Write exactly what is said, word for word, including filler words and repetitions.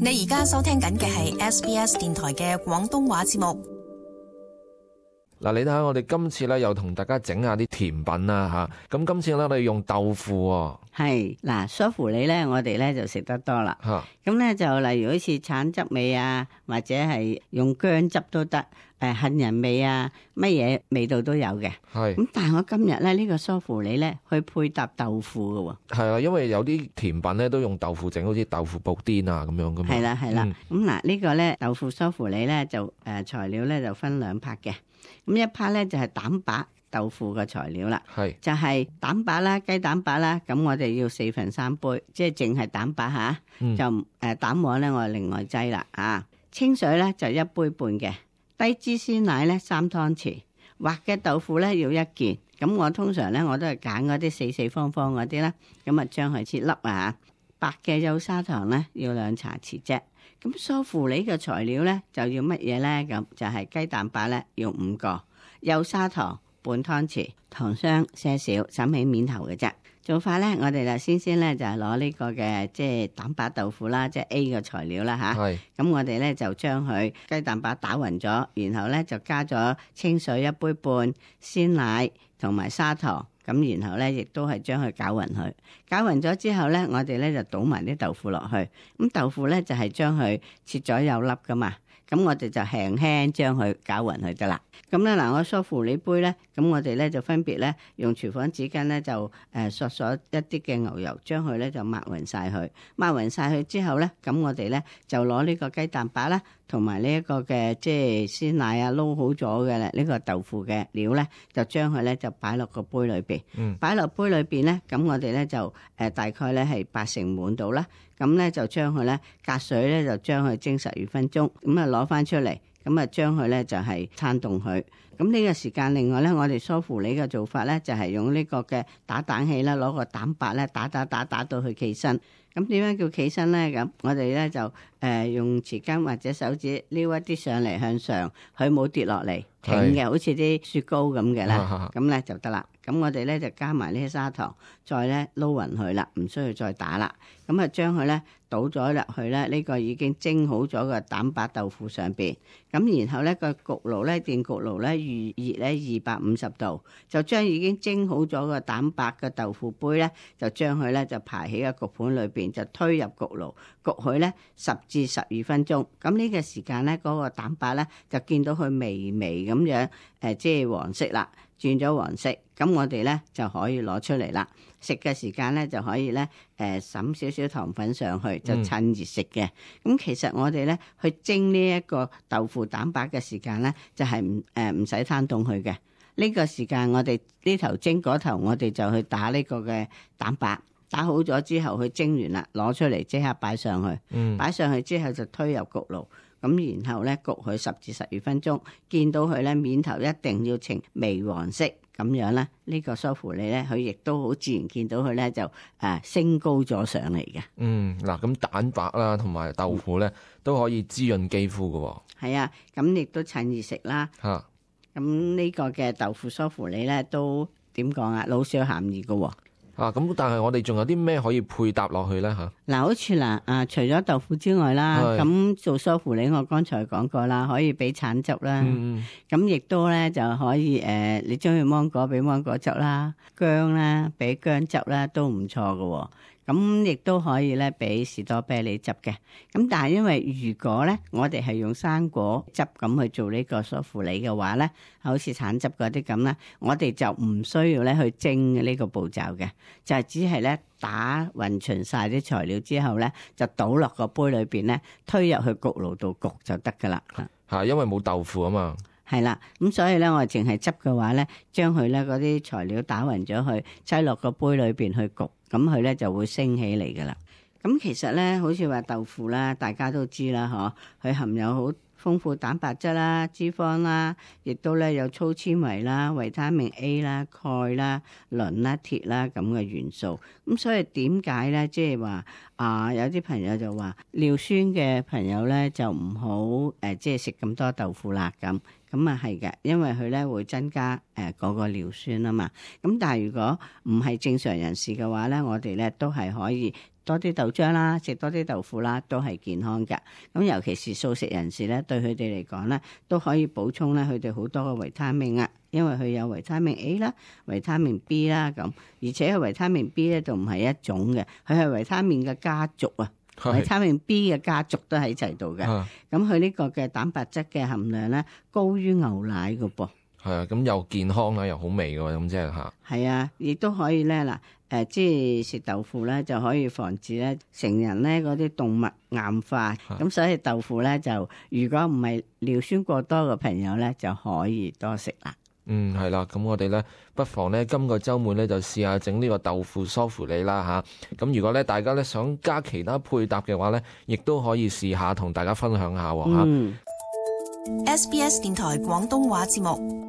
你而家收聽緊嘅係 S B S 電台嘅廣東話節目。嗱，你睇下我哋今次咧又同大家整下啲甜品啦嚇，咁今次咧我哋用豆腐喎。係嗱，梳芙梨咧，我哋咧就食得多啦。嚇，咁咧就例如好似橙汁味啊，或者係用薑汁都得，誒杏仁味啊，乜嘢味道都有嘅。係。咁但係我今日咧呢個梳芙梨咧，去配搭豆腐嘅喎。係啊，因為有啲甜品咧都用豆腐整，好似豆腐布甸啊咁樣噶嘛。係啦係啦。咁嗱、嗯、呢個咧豆腐梳芙梨咧就誒、呃、材料咧就分兩 part 嘅。咁一 part 咧就係蛋白豆腐嘅材料啦，係就係蛋白啦、雞蛋白啦，咁我哋要四分三杯，即係淨係蛋白吓，嗯、就誒蛋黃咧我另外擠啦啊，清水咧就一杯半嘅，低脂鮮奶咧三湯匙，滑嘅豆腐咧要一件，咁我通常咧我都係揀嗰啲四四方方嗰啲啦，咁啊將佢切粒啊，白嘅幼砂糖咧要兩茶匙啫。咁梳芙梨嘅材料咧就要乜嘢咧？咁就係雞蛋白咧要五個，幼砂糖半湯匙，糖霜些少，審起面頭嘅啫。做法咧，我哋就先先咧就係攞呢個嘅即係蛋白豆腐啦，即係 A 嘅材料啦吓。係。咁我哋咧就將佢雞蛋白打匀咗，然後咧就加咗清水一杯半，鮮奶同埋砂糖。咁然後咧，亦都係將佢攪勻佢，攪勻咗之後咧，我哋咧就倒埋啲豆腐落去。咁豆腐咧就係將佢切咗有粒噶嘛，咁我哋就輕輕將佢攪勻佢得啦。咁咧嗱，我梳芙梨杯咧，咁我哋咧就分別咧用廚房紙巾咧就誒索索一啲嘅牛油，將佢咧就抹勻晒佢，抹勻晒佢之後咧，咁我哋咧就攞呢個雞蛋白啦，同埋呢一個嘅即係鮮奶啊撈好咗嘅呢個豆腐嘅料咧，就將佢咧就擺落個杯裏邊。嗯，擺落杯裏邊咧，咁我哋咧就誒大概咧係八成滿到啦。咁咧就將佢咧隔水咧就將佢蒸十二分鐘，咁啊攞翻出嚟，咁啊將佢咧就係攤凍佢。咁呢個時間，另外咧我哋梳芙梨嘅做法咧就係用呢個嘅打蛋器啦，攞個蛋白咧打打打打到佢企身。咁點樣叫企身咧？咁我哋咧就誒、呃、用匙羹或者手指撩一啲上嚟向上，佢冇跌落嚟，挺嘅，好似啲雪糕咁嘅啦。咁咧就得啦。咁我哋咧就加埋呢啲砂糖，再咧撈勻佢啦，唔需要再打啦。咁啊將佢咧倒咗入去咧，呢個已經蒸好咗嘅蛋白豆腐上邊。咁然後咧個焗爐咧電焗爐咧預熱咧二百五十度，就將已經蒸好咗嘅蛋白嘅豆腐杯咧，就將佢咧就排喺個焗盤裏邊，就推入焗爐焗佢咧十至十二分鐘。咁呢個時間咧嗰個蛋白咧就見到佢微微咁樣誒，即係黃色啦。轉咗黃色，咁我哋咧就可以攞出嚟啦。食嘅時間咧就可以咧誒灑少少糖粉上去，就趁熱食嘅。咁、嗯、其實我哋咧去蒸呢一個豆腐蛋白嘅時間咧，就係唔誒唔使攤凍佢嘅。呢、這個時間我哋呢頭蒸嗰頭，我哋就去打呢個嘅蛋白，打好咗之後去蒸完啦，攞出嚟即刻擺上去。嗯，擺上去之後就推入焗爐。咁然後咧焗佢十至十二分鐘，見到佢咧面頭一定要呈微黃色咁樣咧，呢個梳芙梨咧佢亦都好自然見到佢咧就誒升高咗上嚟嘅。嗯，嗱咁蛋白啦同埋豆腐咧都可以滋潤肌膚㗎。係啊，咁亦都趁熱食啦。嚇，咁呢個嘅豆腐梳芙梨咧都點講啊？老少咸宜㗎。啊，咁但係我哋仲有啲咩可以配搭落去咧吓？嗱，好似嗱，啊，除咗豆腐之外啦，咁做梳芙梨我剛才講過啦，可以俾橙汁啦，咁亦都咧就可以誒、呃，你中意芒果俾芒果汁啦，薑啦俾薑汁啦，都唔錯㗎。咁亦都可以咧俾士多啤梨汁嘅。咁但係因為如果咧我哋係用生果汁咁去做呢個梳芙梨嘅話咧，好似橙汁嗰啲咁啦，我哋就唔需要咧去蒸呢個步驟嘅，就係只係咧打勻勻晒啲材料之後咧，就倒落個杯裏邊咧，推入去焗爐度焗就得噶啦。嚇，因為冇豆腐啊嘛。係啦，咁所以咧我哋淨係汁嘅話咧，將佢咧嗰啲材料打勻咗去，擠落個杯裏邊去焗，咁佢咧就會升起嚟噶啦。咁其實咧，好似話豆腐啦，大家都知啦，嗬，佢含有好豐富蛋白質啦、脂肪啦，亦都咧有粗纖維啦、維他命 A 啦、鈣啦、磷啦、鐵啦咁嘅元素。咁所以點解咧，即係話啊，有啲朋友就話尿酸嘅朋友咧就唔好誒，即係食咁多豆腐啦咁。咁啊係嘅，因為佢咧會增加誒嗰個尿酸啊嘛。咁但係如果唔係正常人士嘅話咧，我哋咧都係可以多啲豆漿啦，食多啲豆腐啦，都係健康㗎。咁尤其是素食人士咧，對佢哋嚟講咧，都可以補充咧佢哋好多嘅維他命啊，因為佢有維他命 A 啦、維他命 B 啦咁，而且維他命 B 咧就唔係一種嘅，佢係維他命嘅家族啊。維他命 B 嘅家族都喺齊度嘅，咁佢呢個嘅蛋白質嘅含量咧高於牛奶㗎噃。係啊，咁又健康啦，又好味㗎喎，咁即係嚇。係啊，亦都可以咧嗱，誒即係食豆腐咧就可以防止咧成人咧嗰啲動脈硬化，咁所以豆腐咧就如果唔係尿酸過多嘅朋友咧就可以多食啦。嗯，係啦，咁我哋咧不妨咧今個週末咧就試下整呢個豆腐梳乎厘啦嚇。咁如果咧大家咧想加其他配搭嘅話咧，亦都可以試下同大家分享下喎嚇。嗯，S B S 電台廣東話節目。